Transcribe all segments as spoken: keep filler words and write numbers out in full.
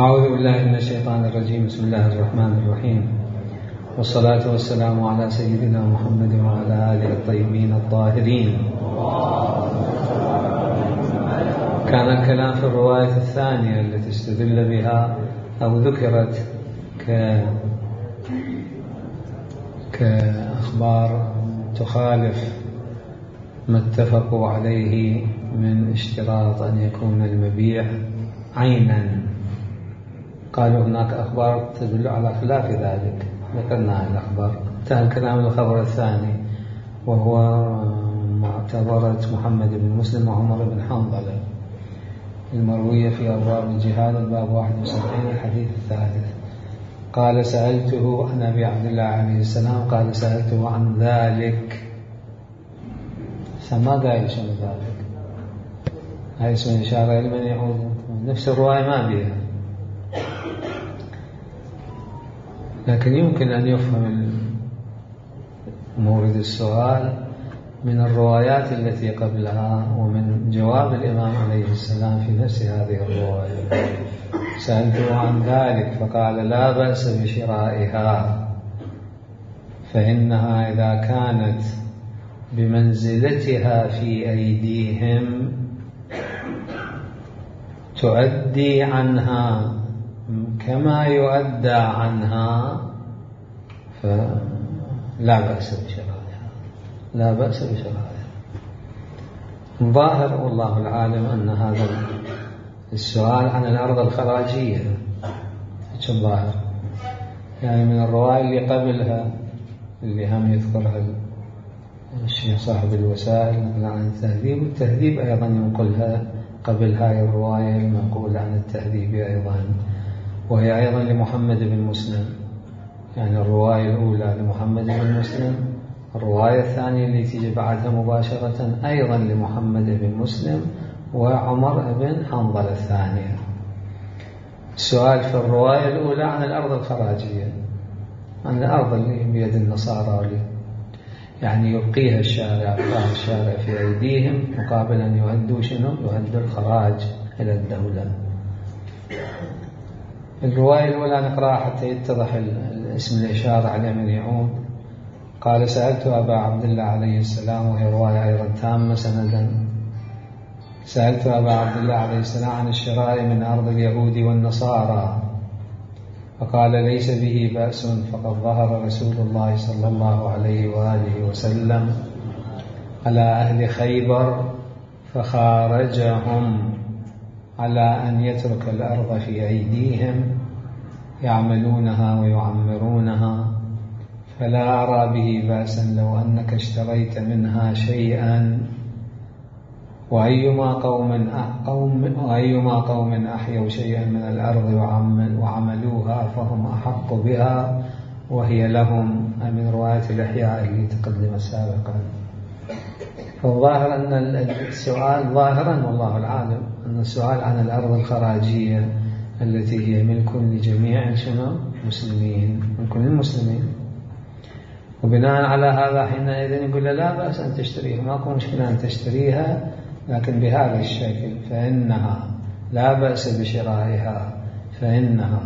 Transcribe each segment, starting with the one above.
أعوذ بالله من الشيطان الرجيم. بسم الله الرحمن الرحيم، والصلاة والسلام على سيدنا محمد وعلى آله الطيبين الطاهرين. كان الكلام في الرواية الثانية التي استدل بها أو ذكرت ك... كأخبار تخالف ما اتفقوا عليه من اشتراط أن يكون المبيع عينا. قالوا هناك أخبار تدل على خلاف ذلك، ذكرنا هذه الأخبار. انتهى الكلام الخبر الثاني وهو معتبرة محمد بن مسلم وعمر بن حنظلة المروية في أبواب الجهاد الباب واحد وسبعين الحديث الثالث. قال سألته عن أبي عبد الله عليه السلام، قال سألته عن ذلك، فما قال شنو ذلك، هاي اسم إشارة لمن يعود، نفس الرواية ما بيها، لكن يمكن أن يفهم مورد السؤال من الروايات التي قبلها ومن جواب الإمام عليه السلام في نفس هذه الرواية. سألته عن ذلك فقال لا بأس بشرائها، فإنها إذا كانت بمنزلتها في أيديهم تؤدي عنها كما يؤدى عنها فلا بأس بشرائها، لا بأس بشرائها. ظاهر والله العالم أن هذا السؤال عن الأرض الخراجية، شو الظاهر؟ يعني من الرواية اللي قبلها اللي هم يذكرها الشيخ صاحب الوسائل نقل عن التهذيب، والتهذيب أيضا ينقلها قبل هاي الرواية المنقولة عن التهذيب أيضا، وهي أيضا لمحمد بن مسلم. يعني الرواية الأولى لمحمد بن مسلم، الرواية الثانية اللي تيجي بعدها مباشرة أيضا لمحمد بن مسلم وعمر بن حنظلة الثانية. السؤال في الرواية الأولى عن الأرض الخراجية، عن الأرض اللي بيد النصارى، يعني يبقيها الشارع، يبقى الشارع في أيديهم مقابل أن يؤدوا شنو؟ يؤدوا الخراج إلى الدولة. الرواية الأولى نقرأها حتى يتضح الاسم الإشارة على من يعود. قال سألت أبا عبد الله عليه السلام، وهي رواية أيضا تامة سندا. سألت أبا عبد الله عليه السلام عن الشراء من أرض اليهود والنصارى، فقال ليس به بأس، فقد ظهر رسول الله صلى الله عليه وآله وسلم على أهل خيبر فخارجهم على أن يترك الأرض في أيديهم يعملونها ويعمرونها، فلا أرى به بأسا لو أنك اشتريت منها شيئا، وأيما قوم قوم وأيما قوم أحيوا شيئا من الأرض وعملوها فهم أحق بها وهي لهم، من رواية الإحياء اللي تقدم سابقا. فالظاهر أن السؤال ظاهرا والله العالم أن السؤال عن الأرض الخراجية التي هي ملك لجميع شنو مسلمين، ملك للمسلمين، وبناء على هذا حينئذ يقول لا بأس أن تشتريها، ماكو مشكلة أن تشتريها، لكن بهذا الشكل، فإنها لا بأس بشرائها، فإنها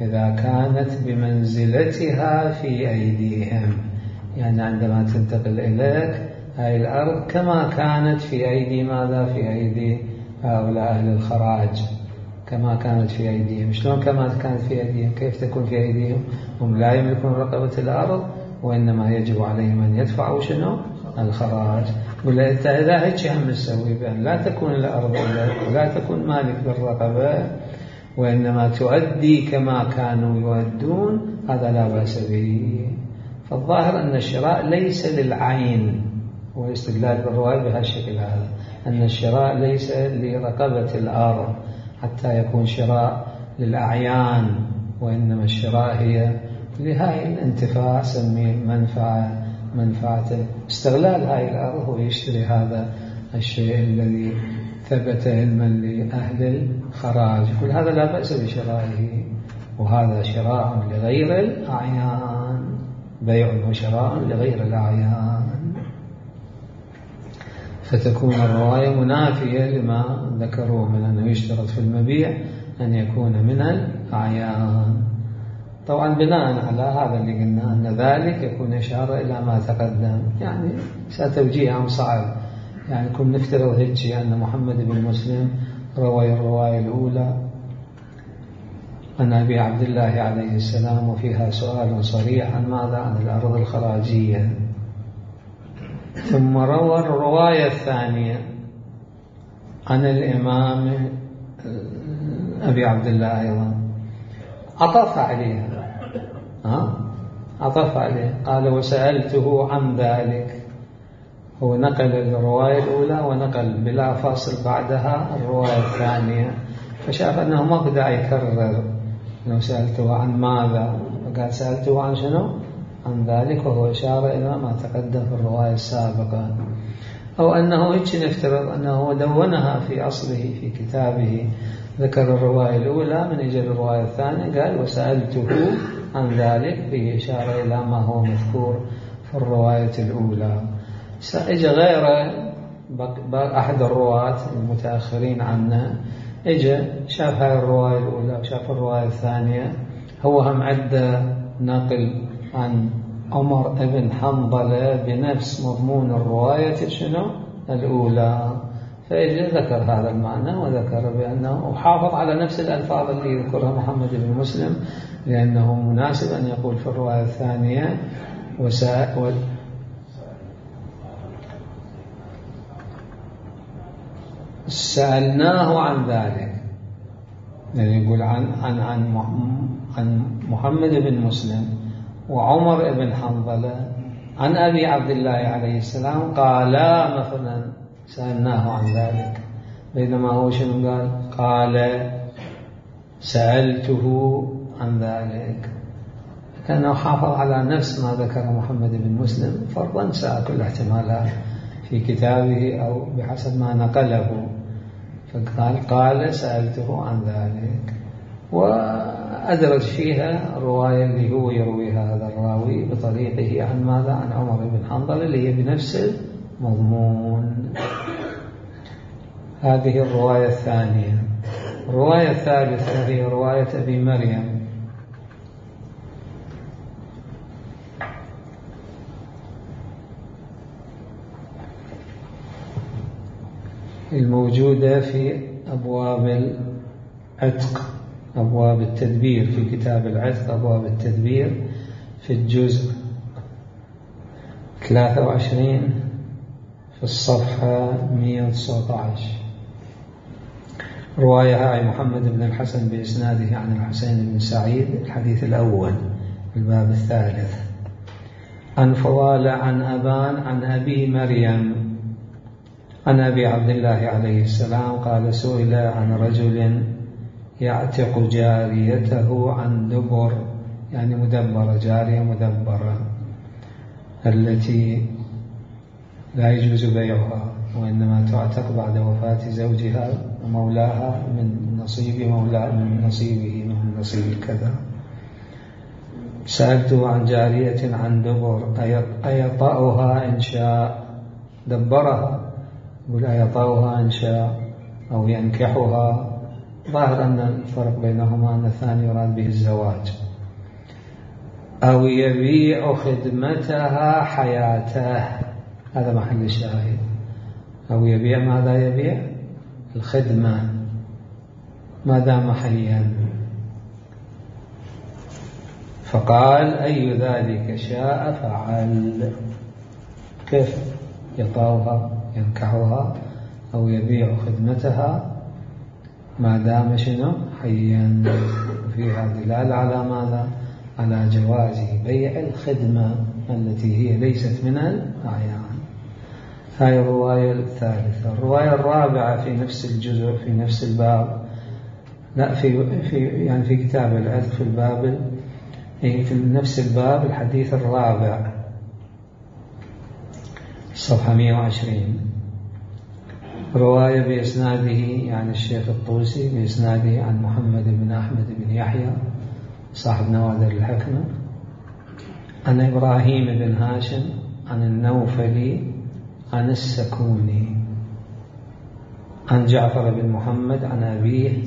إذا كانت بمنزلتها في أيديهم، يعني عندما تنتقل إليك هذه الأرض كما كانت في أيدي ماذا؟ في أيدي هؤلاء أهل الخراج، كما كانت في أيديهم. شلون كما كانت في أيديهم؟ كيف تكون في أيديهم؟ هم لا يملكون رقبة الأرض، وإنما يجب عليهم أن يدفعوا شنو؟ الخراج. قل أنت إذا هيك هم نسوي بأن لا تكون الأرض لك ولا تكون مالك بالرقبة، وإنما تؤدي كما كانوا يؤدون، هذا لا بأس به. فالظاهر أن الشراء ليس للعين، والاستدلال بالرواية بهالشكل هذا، أن الشراء ليس لرقبة الأرض حتى يكون شراء للأعيان، وإنما الشراء هي لهاي الانتفاع، سميه منفعة، منفعته استغلال هاي الأرض، ويشتري هذا الشيء الذي ثبت علما لأهل الخراج. كل هذا لا بأس بشرائه، وهذا شراء لغير الأعيان، بيع وشراء لغير الأعيان. فتكون الرواية منافية لما ذكروه من أنه يشترط في المبيع أن يكون من الأعيان. طبعا بناء على هذا اللي قلنا أن ذلك يكون إشارة إلى ما تقدم، يعني ستوجيه عم صعب، يعني كن نفترض هيك أن محمد بن مسلم روى الرواية الأولى عن أبي عبد الله عليه السلام وفيها سؤال صريح عن ماذا؟ عن الأرض الخراجية، ثم روى الرواية الثانية عن الإمام أبي عبد الله أيضا، عطف عليها ها؟ عطف عليه، قال وسألته عن ذلك. هو نقل الرواية الأولى ونقل بلا فاصل بعدها الرواية الثانية، فشاف أنه ما بدأ يكرر أنه سألته عن ماذا، فقال سألته عن شنو؟ عن ذلك، وهو إشارة إلى ما تقدم في الرواية السابقة. أو أنه هيك نفترض أنه دونها في أصله في كتابه، ذكر الرواية الأولى من أجل الرواية الثانية قال وسألته عن ذلك، فيه إشارة إلى ما هو مذكور في الرواية الأولى. سأجى غيره أحد الرواة المتأخرين عنا، اجى شاف هاي الرواية الأولى وشاف الرواية الثانية، هو هم عدى نقل عن عمر بن حنظلة بنفس مضمون الرواية شنو الأولى، فإجى ذكر هذا المعنى وذكر بأنه وحافظ على نفس الألفاظ اللي يذكرها محمد بن مسلم، لأنه مناسب أن يقول في الرواية الثانية وسأل سألناه عن ذلك، يعني يقول عن عن عن عن محمد بن مسلم وعمر بن حنظلة عن أبي عبد الله عليه السلام قالا مثلا سألناه عن ذلك، بينما هو شنو قال؟ قال سألته عن ذلك، كأنه حافظ على نفس ما ذكر محمد بن مسلم، فرضا ساء كل احتمالات في كتابه أو بحسب ما نقله، فقال قال سألته عن ذلك، وأدرج فيها الرواية اللي هو يرويها هذا الراوي بطريقه عن ماذا؟ عن عمر بن حنظلة اللي هي بنفس المضمون. هذه الرواية الثانية. الرواية الثالثة هي رواية أبي مريم، الموجودة في أبواب العتق، أبواب التدبير، في كتاب العتق أبواب التدبير في الجزء ثلاثة وعشرين في الصفحة مئة وتسعة عشر. رواية هاي محمد بن الحسن بإسناده عن الحسين بن سعيد، الحديث الأول في الباب الثالث، عن فضالة عن أبان عن أبي مريم عن أبي عبد الله عليه السلام قال سئل عن رجل يعتق جاريته عن دبر، يعني مدبرة، جارية مدبرة التي لا يجوز بيعها وإنما تعتق بعد وفاة زوجها ومولاها من نصيب مولاه من نصيبه من نصيب كذا. سألته عن جارية عن دبر أيطأها إن شاء، دبرها، يقول أيطأها إن شاء أو ينكحها، ظاهر أن الفرق بينهما أن الثاني يراد به الزواج، أو يبيع خدمتها حياته، هذا محل الشاهد. أو يبيع ماذا؟ يبيع الخدمة ما دام حيا. فقال أي ذلك شاء فعل، كيف يطاوها ينكحها أو يبيع خدمتها ما دام شنو حيا. فيها دلالة على ماذا؟ على جواز بيع الخدمة التي هي ليست من الأعيان. هاي الرواية الثالثة. الرواية الرابعة في نفس الجزء في نفس الباب، لا في في يعني في كتاب العتق في الباب في نفس الباب الحديث الرابع صفحة مئة وعشرين، رواية بإسناده يعني الشيخ الطوسي بإسناده عن محمد بن أحمد بن يحيى صاحب نوادر الحكمة عن إبراهيم بن هاشم عن النوفلي عن السكوني عن جعفر بن محمد عن أبيه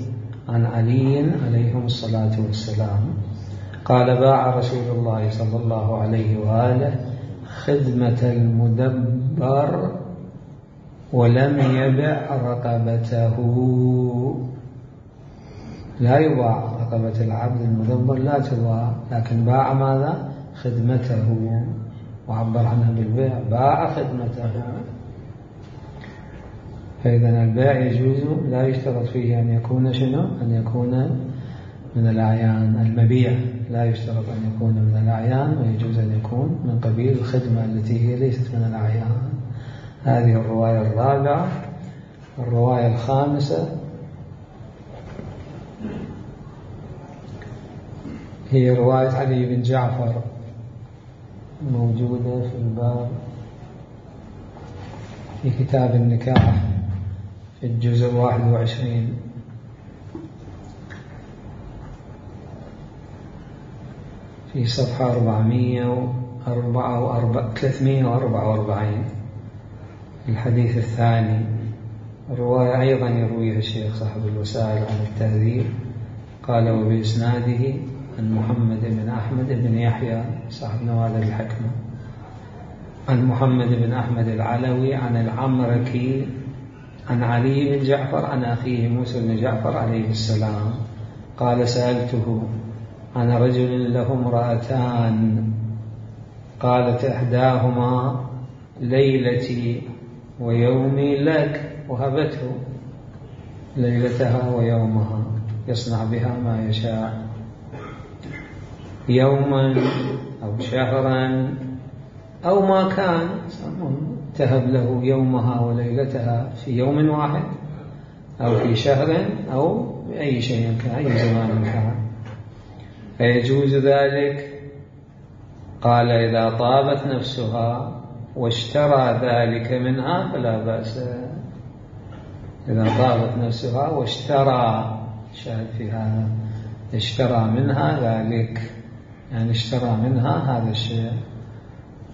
عن علي عليهم الصلاة والسلام قال باع رسول الله صلى الله عليه وآله خدمة المدبر ولم يبع رقبته. لا يباع رقبة العبد المدبر، لا تباع، لكن باع ماذا؟ خدمته، وعبر عنها بالبيع، باع خدمته. فإذا البيع يجوز، لا يشترط فيه أن يكون شنو؟ أن يكون من الأعيان. المبيع لا يشترط أن يكون من الأعيان، ويجوز أن يكون من قبيل الخدمة التي هي ليست من الأعيان. هذه الرواية الرابعة. الرواية الخامسة هي رواية علي بن جعفر، موجودة في الباب في كتاب النكاح في الجزء واحد وعشرين، في صفحة أربعمائة وأربعة وأربعين الحديث الثاني. الرواية أيضا يرويها الشيخ صاحب الوسائل عن التهذيب، قال وبإسناده عن محمد بن أحمد بن يحيى صاحب نوادر الحكمة، عن محمد بن أحمد العلوي عن العمركي عن علي بن جعفر عن أخيه موسى بن جعفر عليه السلام قال سألته عن رجل له امرأتان قالت إحداهما ليلتي ويومي لك، وهبته ليلتها ويومها يصنع بها ما يشاء، يوما أو شهرا أو ما كان، تهب له يومها وليلتها في يوم واحد أو في شهر أو بأي شيء كان، أي زمان كان، فيجوز ذلك. قال إذا طابت نفسها واشترى ذلك منها فلا بأس. إذا طابت نفسها واشترى، شاهد في هذا، اشترى منها ذلك، يعني اشترى منها هذا الشيء،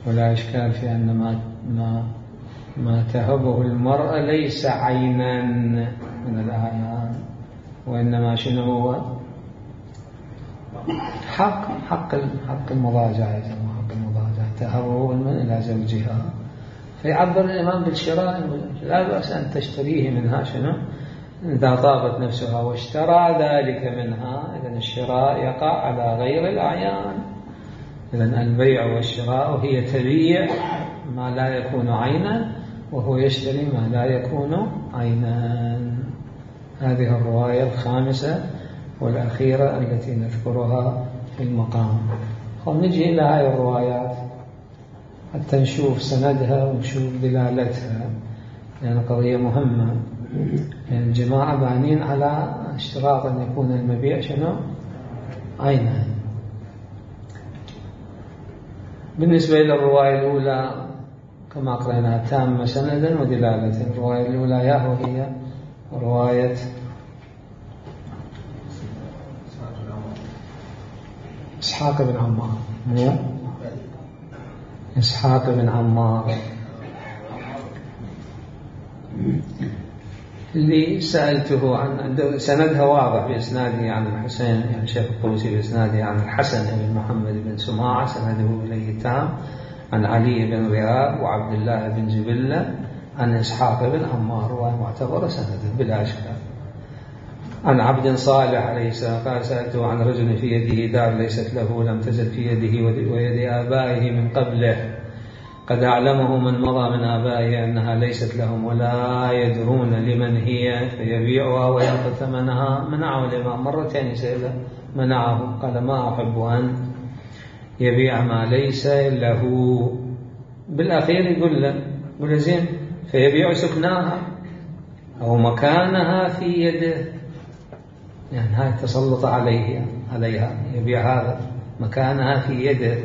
ولا إشكال في أن ما ما ما تهبه المرأة ليس عينا من الأعيان، وإنما شنو هو؟ حق حق حق المضاجعة، حق المضاجعة تهبه من إلى زوجها، فيعبر الإمام بالشراء، لا بأس أن تشتريه منها شنو؟ إذا طابت نفسها واشترى ذلك منها، إذن الشراء يقع على غير الأعيان. إذن البيع والشراء هي تبيع ما لا يكون عينا، وهو يشتري ما لا يكون عينا. هذه الرواية الخامسة والأخيرة التي نذكرها في المقام. نجي إلى هذه الروايات حتى نشوف سندها ونشوف دلالتها، لأن يعني قضية مهمة. يعني الجماعة بانين على اشتراط أن يكون المبيع شنو؟ عينا. بالنسبة إلى الرواية الأولى كما قرأناها تامة سندا ودلالة. الرواية الأولى يا وهي رواية إسحاق بن عمار، مو إسحاق بن عمار اللي سألته عن، سندها واضح بإسناده عن الحسين، يعني شيخ الطوسي بإسناده عن الحسن بن محمد بن سماعة، سنده إليه تام، عن علي بن رياب وعبد الله بن جبلة عن إسحاق بن عمار، ومعتبر سنده بلا إشكال. عن عبد صالح عليه السلام قال سألته عن رجل في يده دار ليست له لم تزل في يده ويد آبائه من قبله، قد أعلمه من مضى من آبائه أنها ليست لهم ولا يدرون لمن هي، فيبيعها ويأخذ ثمنها. منعه الإمام مرتين يسأله، منعه، قال ما أحب أن يبيع ما ليس له. بالأخير يقول له يقول زين فيبيع سكناها أو مكانها في يده، يعني هاي تسلط عليه عليها، يبيع هذا مكانها في يده،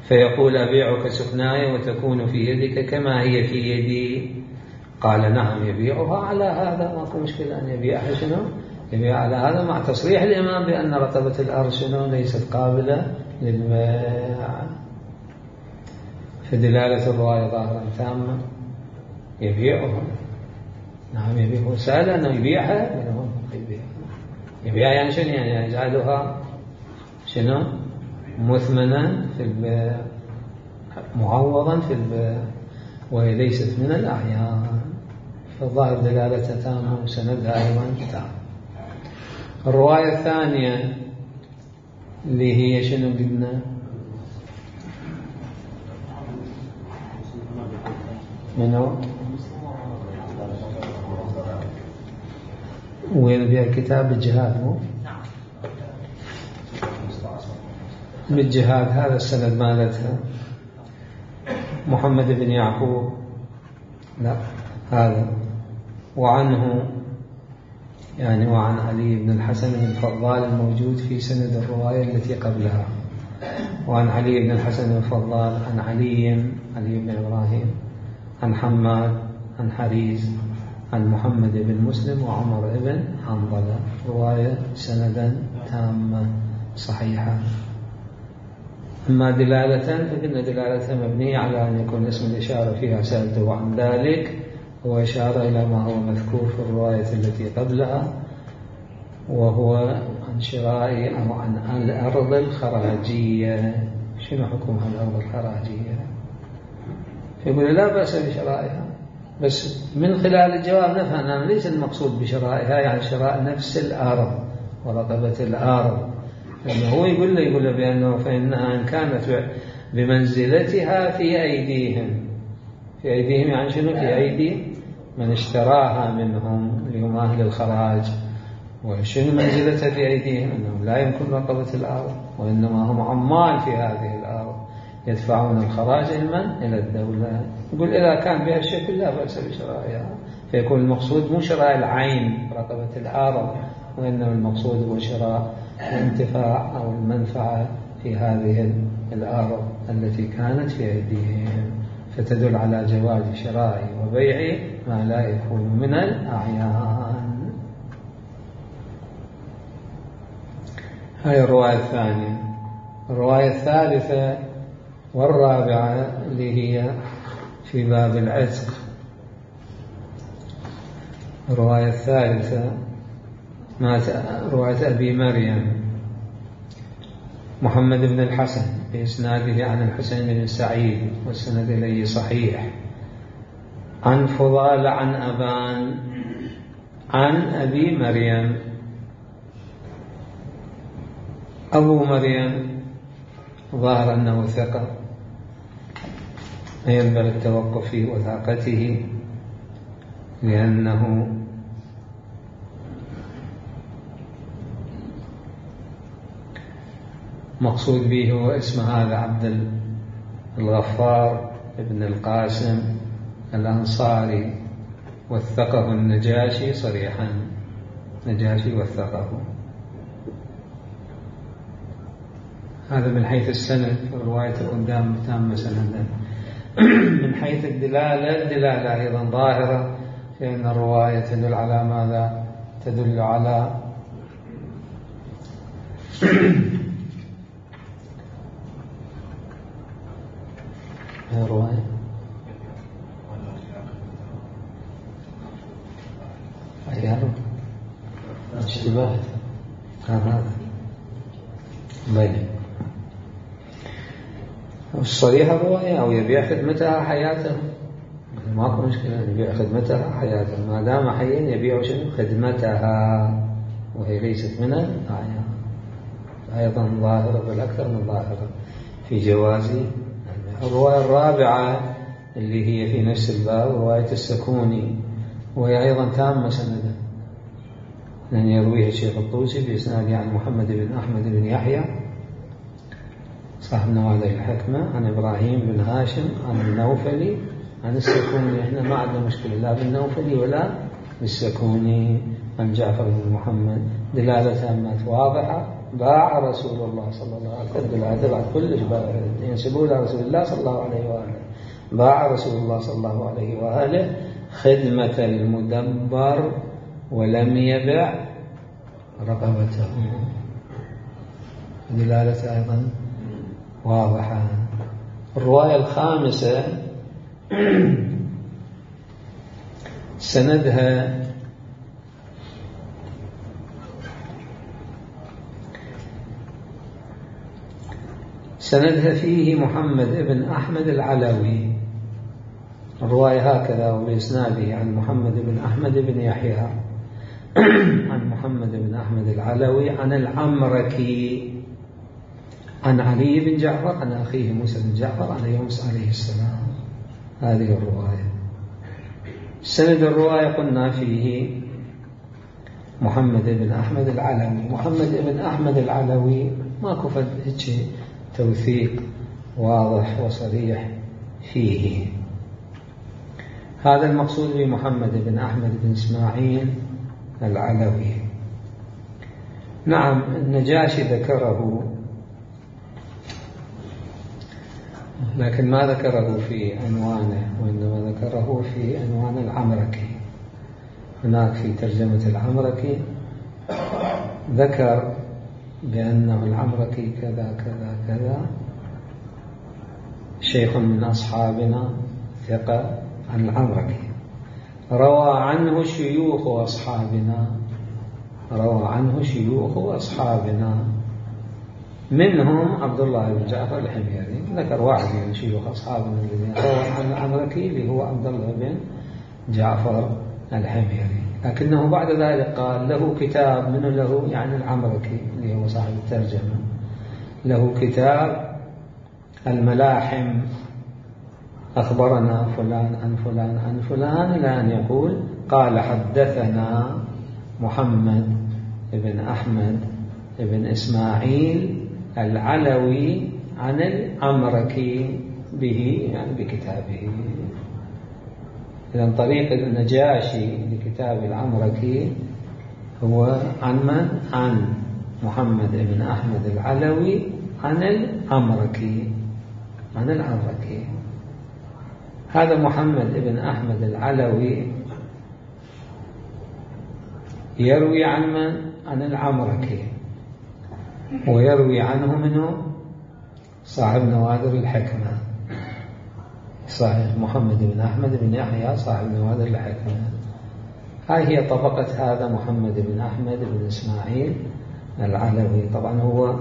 فيقول أبيعك سكناي وتكون في يدك كما هي في يدي. قال نعم يبيعها على هذا، ما في مشكلة أن يبيعها شنو؟ يبيع على هذا، مع تصريح الإمام بأن رقبة الأرض شنو؟ ليست قابلة للبيع. فدلالة الرواية ظاهرا تامة، يبيعها. نعم يبيعها. سأل أنه يبيعها، يبيعها. يبيع يعني شنو؟ يعني يجعلها شنو؟ مثمنا في البيع، معوضا في البيع، وهي ليست من الأعيان، فالظاهر دلالتها تامة وسندها أيضا تام. الرواية الثانية اللي هي شنو قلنا؟ منو؟ وين بها كتاب الجهاد؟ مو بالجهاد. هذا السند مالتها محمد بن يعقوب، لا هذا، وعنه يعني وعن علي بن الحسن بن الفضال الموجود في سند الرواية التي قبلها، وعن علي بن الحسن بن الفضال عن علي علي بن إبراهيم عن حماد عن حريز عن محمد بن مسلم وعمر بن حنظلة. رواية سندا تامة صحيحة. أما دلالة فإن دلالتها مبنية على أن يكون اسم الإشارة فيها سألته عن ذلك، هو إشارة إلى ما هو مذكور في الرواية التي قبلها، وهو عن شراء أو عن الأرض الخراجية. شنو حكمها الأرض الخراجية؟ يقول لا بأس بشرائها، بس من خلال الجواب نفهم أن ليس المقصود بشرائها يعني شراء نفس الأرض ورقبة الأرض، لأنه هو يقول له يقول له بأنه فإنها إن كانت بمنزلتها في أيديهم، في أيديهم يعني شنو؟ في أيدي من اشتراها منهم اللي هم أهل الخراج. وشنو منزلتها في أيديهم؟ أنهم لا يمكن رقبة الأرض، وإنما هم عمال في هذه الأرض يدفعون الخراج إلى إلى الدولة. يقول إذا كان بها الشكل لا بأس بشرائها، فيكون المقصود مو شراء العين رقبة الأرض، وإنما المقصود هو شراء الانتفاع أو المنفعة في هذه الأرض التي كانت في أيديهم، فتدل على جواز شراء وبيع ما لا يكون من الأعيان. هاي الرواية الثانية. الرواية الثالثة والرابعة اللي هي في باب العتق. الرواية الثالثة رواية أبي مريم محمد بن الحسن بإسناده عن الحسين بن سعيد والسند إليه صحيح، عن فضال عن أبان عن أبي مريم. أبو مريم ظاهر أنه ثقة، ينبغي التوقف في وثاقته، لأنه مقصود به هو اسم هذا عبد الغفار ابن القاسم الأنصاري، وثقه النجاشي صريحا، نجاشي وثقه. هذا من حيث السند، الرواية قدام تامة سندا. من حيث الدلالة، الدلالة أيضا ظاهرة، لأن الرواية تدل على ماذا؟ تدل على الرواية أيها اشتباه هذا بين الصريح الرواية، أو يبيع خدمتها حياته، ماكو مشكلة، يبيع خدمتها حياته ما دام حيا، يبيع شنو؟ خدمتها، وهي ليست من الأعيان. أيضا ظاهرة بل أكثر من ظاهرة في جواز. الرواية الرابعة اللي هي في نفس الباب رواية السكوني، وهي أيضا تامة سندا، لأن يرويها الشيخ الطوسي بإسناده عن محمد بن أحمد بن يحيى صاحب نوادي الحكمة عن إبراهيم بن هاشم عن النوفلي عن السكوني. إحنا ما عندنا مشكلة لا بالنوفلي ولا بالسكوني. عن جعفر بن محمد، دلالة تامة واضحة. باع رسول الله صلى الله عليه وسلم، دلالة بعد كلش ينسبوا إلى رسول الله صلى الله عليه وآله. باع رسول الله صلى الله عليه وآله خدمة المدبر ولم يبع رقبته، دلالة أيضا واضحة. الرواية الخامسة سندها سندها فيه محمد بن أحمد العلوي، الرواية هكذا وبإسناده عن محمد بن أحمد بن يحيى عن محمد بن أحمد العلوي عن العمركي عن علي بن جعفر عن أخيه موسى بن جعفر عن يونس عليه السلام. هذه الرواية. سند الرواية قلنا فيه محمد بن أحمد العلوي. محمد بن أحمد العلوي ماكو فد هيك توثيق واضح وصريح فيه. هذا المقصود بمحمد بن أحمد بن إسماعيل العلوي. نعم النجاشي ذكره، لكن ما ذكره في عنوانه، وإنما ذكره في عنوان العمركي. هناك في ترجمة العمركي ذكر بأنه العمركي كذا كذا كذا، شيخ من أصحابنا ثقة عن العمركي، روى عنه شيوخ أصحابنا، روى عنه شيوخ أصحابنا منهم عبد الله بن جعفر الحميري. ذكر واحد من شيوخ أصحابنا الذين روى عن العمركي اللي هو عبد الله بن جعفر الحميري، لكنه بعد ذلك قال له كتاب من له، يعني العمركي اللي هو صاحب الترجمة، له كتاب الملاحم، أخبرنا فلان عن فلان عن فلان، إلى أن يقول قال حدثنا محمد بن أحمد بن إسماعيل العلوي عن العمركي به، يعني بكتابه. إذن طريق النجاشي لكتاب العمركي هو عن من؟ عن محمد بن أحمد العلوي عن العمركي، عن العمركي. هذا محمد بن أحمد العلوي يروي عن من؟ عن العمركي، ويروي عنه منه صاحب نوادر الحكمة، صحيح محمد بن أحمد بن يحيى صاحب نوادر الحكمة. هاي هي طبقة هذا محمد بن أحمد بن إسماعيل العلوي. طبعا هو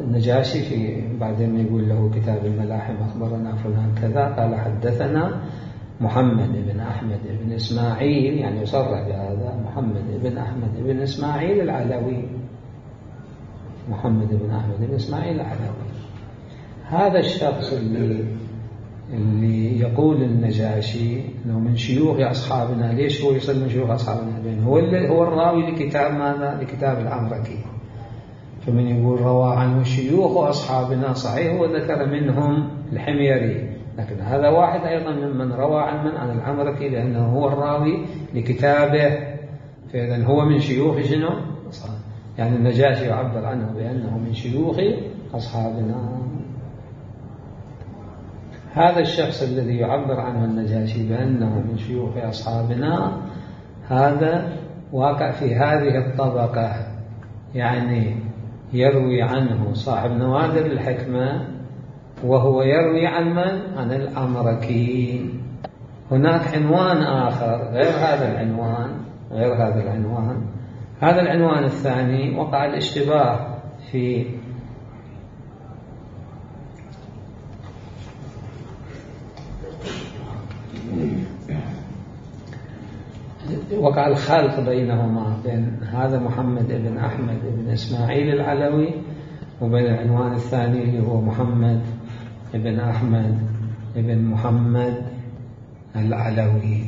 النجاشي في بعدين يقول له كتاب الملاحم أخبرنا فلان كذا، قال حدثنا محمد بن أحمد بن إسماعيل، يعني يصرح بهذا محمد بن أحمد بن إسماعيل العلوي، محمد بن أحمد بن إسماعيل العلوي. هذا الشخص اللي اللي يقول النجاشي انه من شيوخ اصحابنا، ليش هو يصل من شيوخ اصحابنا؟ لأنه هو هو الراوي لكتاب ماذا؟ لكتاب العمركي. فمن يقول روى عنه شيوخ اصحابنا، صحيح هو ذكر منهم الحميري، لكن هذا واحد ايضا ممن روى عن من؟ عن العمركي، لانه هو الراوي لكتابه، فاذا هو من شيوخ شنو؟ يعني النجاشي يعبر عنه بانه من شيوخ اصحابنا. هذا الشخص الذي يعبر عنه النجاشي بأنه من شيوخ أصحابنا، هذا واقع في هذه الطبقة، يعني يروي عنه صاحب نوادر الحكمة، وهو يروي عن من؟ عن العمركي. هناك عنوان آخر غير هذا العنوان، غير هذا العنوان هذا العنوان الثاني وقع الاشتباه في وقع الخلط بينهما، بين هذا محمد بن أحمد بن إسماعيل العلوي وبين العنوان الثاني اللي هو محمد بن أحمد بن محمد العلوي.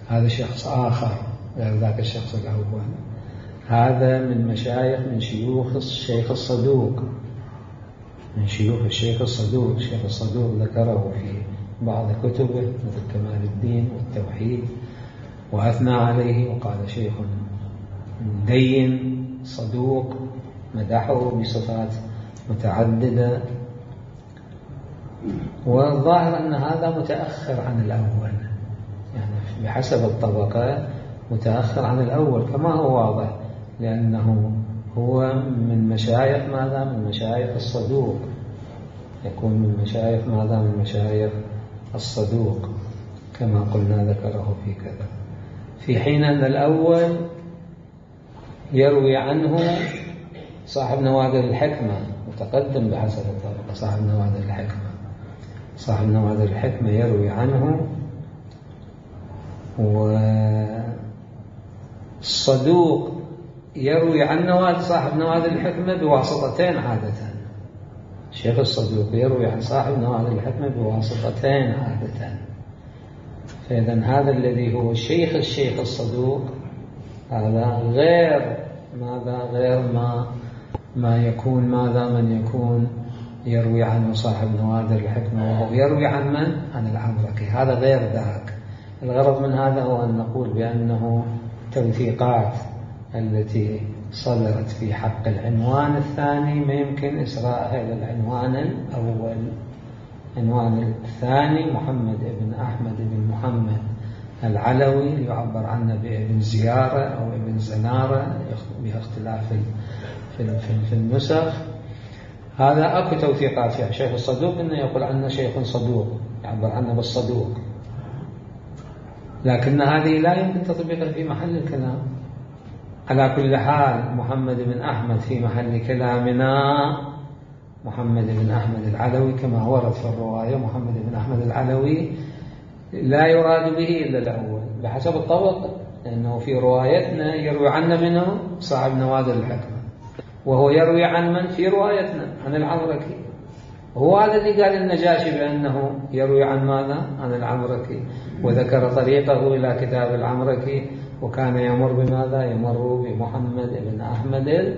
هذا شخص آخر غير ذاك الشخص الأول. هذا من مشايخ من شيوخ الشيخ الصدوق، من شيوخ الشيخ الصدوق. الشيخ الصدوق ذكره في بعض كتبه مثل كمال الدين والتوحيد، وأثنى عليه وقال شيخ دين صدوق، مدحه بصفات متعددة. والظاهر أن هذا متأخر عن الأول، يعني بحسب الطبقة متأخر عن الأول كما هو واضح، لأنه هو من مشايخ ماذا؟ من مشايخ الصدوق، يكون من مشايخ ماذا؟ من مشايخ الصدوق كما قلنا ذكره في كذا، في حين أن الأول يروي عنه صاحب نوادر الحكمة متقدم بحسب الطبقة. صاحب نوادر الحكمة صاحب نوادر الحكمة يروي عنه، والصدوق يروي عن نوادر صاحب نوادر الحكمة بواسطتين عادة. الشيخ الصدوق يروي عن صاحب نوادر الحكمة بواسطتين عادة. فإذا هذا الذي هو شيخ الشيخ الصدوق هذا غير ماذا غير ما ما يكون ماذا من يكون يروي عنه صاحب نوادر الحكمة وهو يروي عن من؟ عن العمركي. هذا غير ذاك. الغرض من هذا هو أن نقول بأنه توثيقات التي صدرت في حق العنوان الثاني ما يمكن إسراءها إلى العنوان الأول. العنوان الثاني محمد بن أحمد بن محمد العلوي يعبر عنه بابن زيارة أو ابن زنارة بها اختلاف في في النسخ. هذا أكو توثيقات فيها. شيخ الصدوق إنه يقول عنه شيخ صدوق، يعبر عنه بالصدوق، لكن هذه لا يمكن تطبيقها في محل الكلام. على كل حال محمد بن أحمد في محل كلامنا محمد بن أحمد العلوي كما ورد في الرواية. محمد بن أحمد العلوي لا يراد به إلا الأول بحسب الطبق، لأنه في روايتنا يروي عنا منه صاحب نوادر الحكمة، وهو يروي عن من في روايتنا عن العمركي. هو هذا اللي قال النجاشي بأنه يروي عن ماذا؟ عن العمركي، وذكر طريقه إلى كتاب العمركي، وكان يمر بماذا؟ يمر بمحمد بن أحمد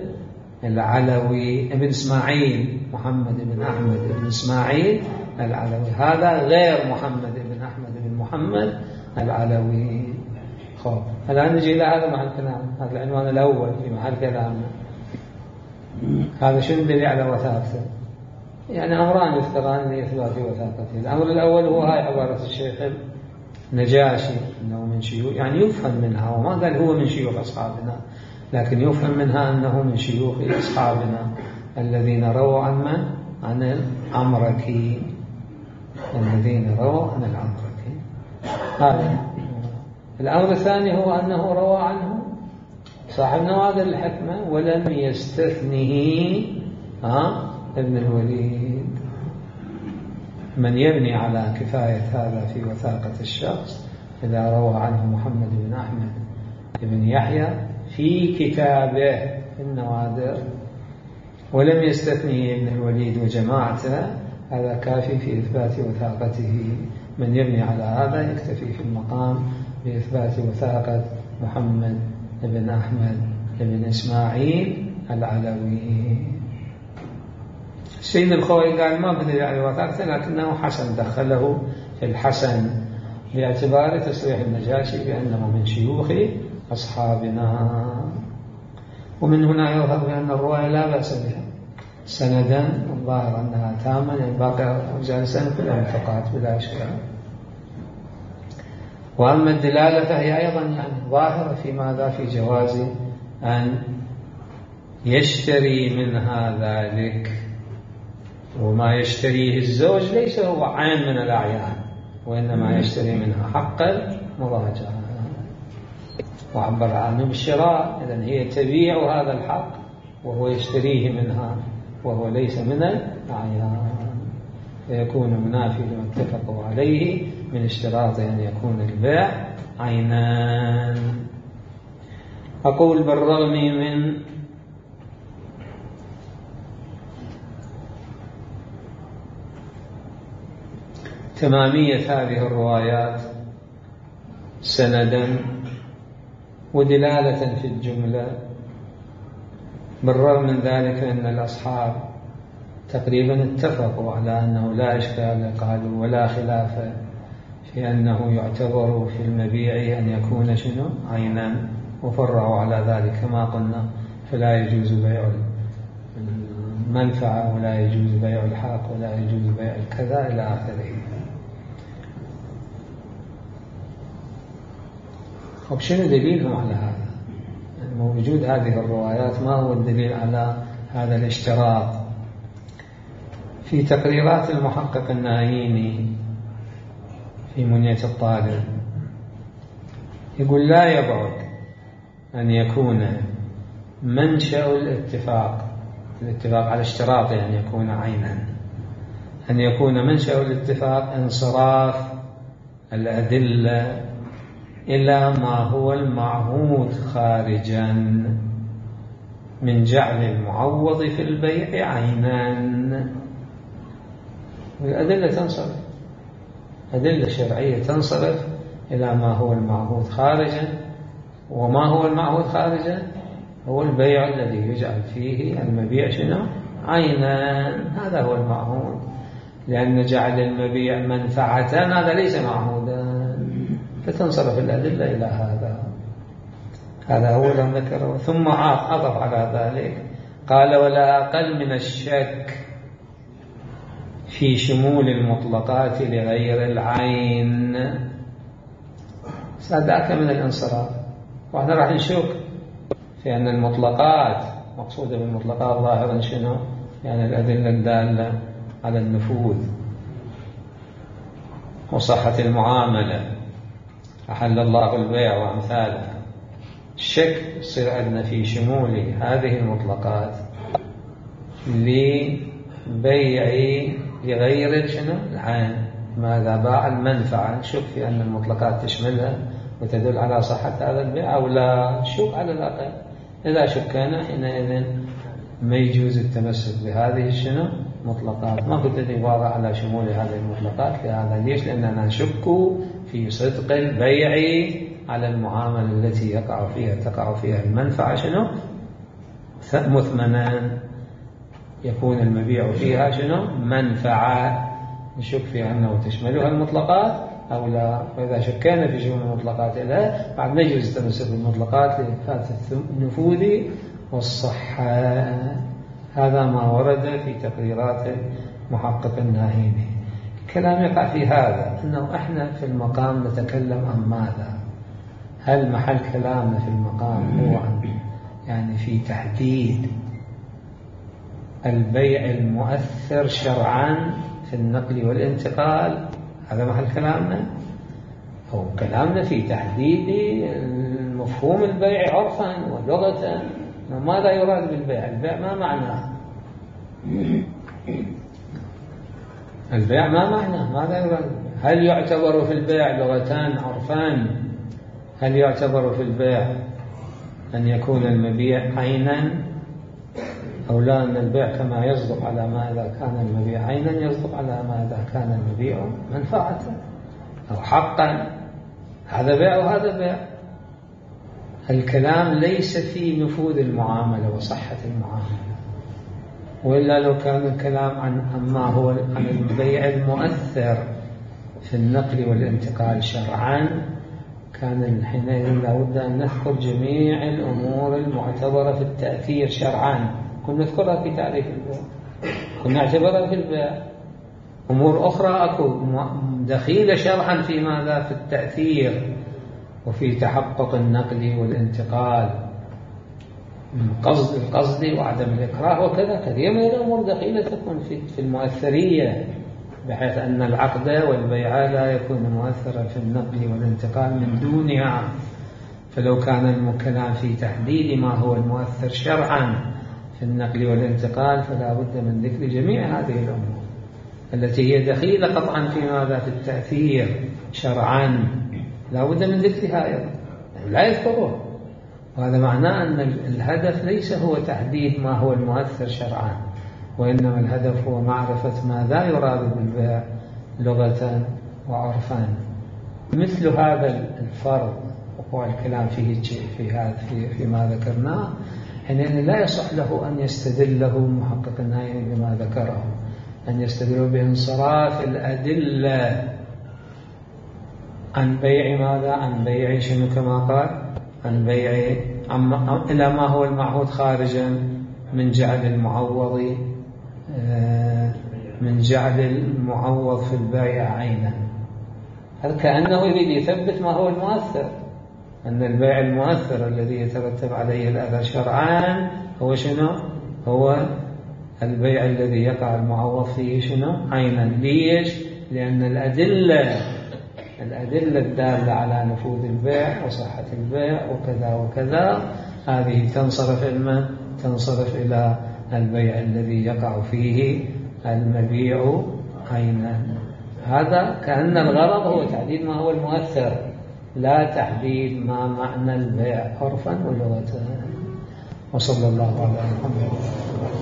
العلوي ابن إسماعيل، محمد بن أحمد بن إسماعيل العلوي. هذا غير محمد بن أحمد بن محمد العلوي. خب الآن نجي إلى هذا محل كلام، هذا العنوان الأول في محل كلامنا. هذا شنو دليل على وثاقته؟ يعني أمران يذكران لإثبات وثاقته. الأمر الأول هو هاي عبارة الشيخ النجاشي أنه من شيوخ، يعني يفهم منها، وما قال هو من شيوخ أصحابنا، لكن يفهم منها أنه من شيوخ أصحابنا الذين رووا عن من؟ عن العمركي، الذين رووا عن العمركي. هذا الأمر الثاني هو أنه روى عنه صاحب نوادر الحكمة ولم يستثنه ها ابن الوليد. من يبني على كفاية هذا في وثاقة الشخص إذا روى عنه محمد بن أحمد بن يحيى في كتابه في النوادر ولم يستثنه ابن الوليد وجماعته، هذا كافي في إثبات وثاقته. من يبني على هذا يكتفي في المقام بإثبات وثاقة محمد بن أحمد بن إسماعيل العلوي. سيد الخوي قال ما بدل على وثاقته، لكنه حسن، دخله في الحسن باعتبار تصريح النجاشي بأنه من شيوخ أصحابنا. ومن هنا يظهر بأن الرواية لا بأس بها سندا، الظاهر أنها تامة، يعني باقي رجال السند كلهم ثقات بلا إشكال. وأما الدلالة فهي أيضا يعني ظاهرة في ماذا؟ في جواز أن يشتري منها ذلك، وما يشتريه الزوج ليس هو عين من الأعيان، وإنما يشتري منها حق المراجعة، وعبر عنه بالشراء. إذن هي تبيع هذا الحق وهو يشتريه منها وهو ليس من الأعيان، فيكون منافي لما اتفقوا عليه من اشتراط أن يكون البيع عينان. أقول بالرغم من تمامية هذه الروايات سندا ودلالة في الجملة، بالرغم من ذلك أن الأصحاب تقريبا اتفقوا على أنه لا إشكال، قالوا ولا خلاف في أنه يعتبر في المبيع أن يكون شنو عينا، وفرعوا على ذلك كما قلنا، فلا يجوز بيع المنفعة ولا يجوز بيع الحق ولا يجوز بيع الكذا إلى آخره. طب شنو دليلهم على هذا؟ يعني وجود هذه الروايات ما هو الدليل على هذا الاشتراط؟ في تقريرات المحقق الناييني في منية الطالب يقول لا يبعد أن يكون منشأ الاتفاق الاتفاق على اشتراط أن يعني يكون عينا، أن يكون منشأ الاتفاق انصراف الأدلة إلى ما هو المعهود خارجا من جعل المعوض في البيع عينا. الأدلة تنصرف، أدلة شرعية تنصرف إلى ما هو المعهود خارجا. وما هو المعهود خارجا؟ هو البيع الذي يجعل فيه المبيع شنو؟ عينا، هذا هو المعهود. لأن جعل المبيع منفعة هذا ليس معهودا، فتنصرف الأدلة إلى هذا. هذا هو لم ذكره. ثم عطف على ذلك قال ولا أقل من الشك في شمول المطلقات لغير العين. ذاك من الانصراف. وإحنا راح نشك في أن المطلقات مقصودة بالمطلقات ظاهرا شنو؟ يعني الأدلة الدالة على النفوذ وصحة المعاملة، أحل الله البيع وأمثاله. الشك يصير عندنا في شمول هذه المطلقات لبيع لغير شنو؟ العين. ماذا باع المنفعة، نشك في أن المطلقات تشملها وتدل على صحة هذا البيع أو لا، شك على الأقل. إذا شكنا حينئذ ما يجوز التمسك بهذه الشنو؟ مطلقات. ما كنت عبارة على شمول هذه المطلقات. لهذا ليش؟ لأننا نشك في صدق البيع على المعاملة التي يقع فيها تقع فيها المنفعة شنو؟ مثمنا، يكون المبيع فيها شنو؟ منفعة. نشك في أنه تشملها المطلقات أو لا. وإذا شكينا في شمول المطلقات لها بعد ما يجوز التمسك بالمطلقات لإثبات النفوذ والصحة. هذا ما ورد في تقريرات محقق الناهيني. الكلام يقع في هذا، أنه إحنا في المقام نتكلم عن ماذا؟ هل محل كلامنا في المقام هو عن يعني في تحديد البيع المؤثر شرعا في النقل والانتقال؟ هذا محل كلامنا. أو كلامنا في تحديد مفهوم البيع عرفا ولغة. ماذا يراد بالبيع؟ البيع ما معناه؟ البيع ما معناه؟ ماذا يراد؟ هل يعتبر في البيع لغتان عرفان؟ هل يعتبر في البيع أن يكون المبيع عينا أو لا؟ أن البيع كما يصدق على ما إذا كان المبيع عينا يصدق على ما إذا كان المبيع منفعة أو حقا. هذا بيع وهذا بيع. الكلام ليس في نفوذ المعاملة وصحة المعاملة، وإلا لو كان الكلام عن ما هو عن البيع المؤثر في النقل والانتقال شرعا كان حينئذ لابد أن نذكر جميع الأمور المعتبرة في التأثير شرعا. كنا نذكرها في تعريف البيع، كنا نعتبرها في البيع. أمور أخرى أكو دخيلة شرعا في ماذا؟ في التأثير وفي تحقق النقل والانتقال، القصد القصد وعدم الإكراه وكذا. كثير من الأمور دخيلة تكون في المؤثرية، بحيث أن العقد والبيع لا يكون مؤثرا في النقل والانتقال من دونها. فلو كان الكلام في تحديد ما هو المؤثر شرعا في النقل والانتقال فلا بد من ذكر جميع هذه الأمور التي هي دخيلة قطعا في ماذا؟ في التأثير شرعا، لا بد من ذكرها أيضا، لا يذكره. وهذا معناه أن الهدف ليس هو تحديد ما هو المؤثر شرعا، وإنما الهدف هو معرفة ماذا يراد بالبيع لغة وعرفا. مثل هذا الفرض وقوع الكلام فيه في هذا في فيما ذكرناه، حينئذ لا يصح له أن يستدله محقق الناهيني بما ذكره، أن يستدل بانصراف الأدلة عن بيع ماذا؟ عن بيع شنو كما قال؟ عن بيع إلى ما هو المعهود خارجا من جعل المعوض من جعل المعوض في البيع عينا. هل كأنه يريد يثبت ما هو المؤثر، أن البيع المؤثر الذي يترتب عليه الأثر شرعان هو شنو؟ هو البيع الذي يقع المعوض فيه شنو؟ عينا. ليش؟ لأن الأدلة الأدلة الدالة على نفوذ البيع وصحة البيع وكذا وكذا هذه تنصرف إلى تنصرف إلى البيع الذي يقع فيه المبيع عينا. هذا كأن الغرض هو تحديد ما هو المؤثر، لا تحديد ما معنى البيع عرفا ولغة. وصلى الله على محمد.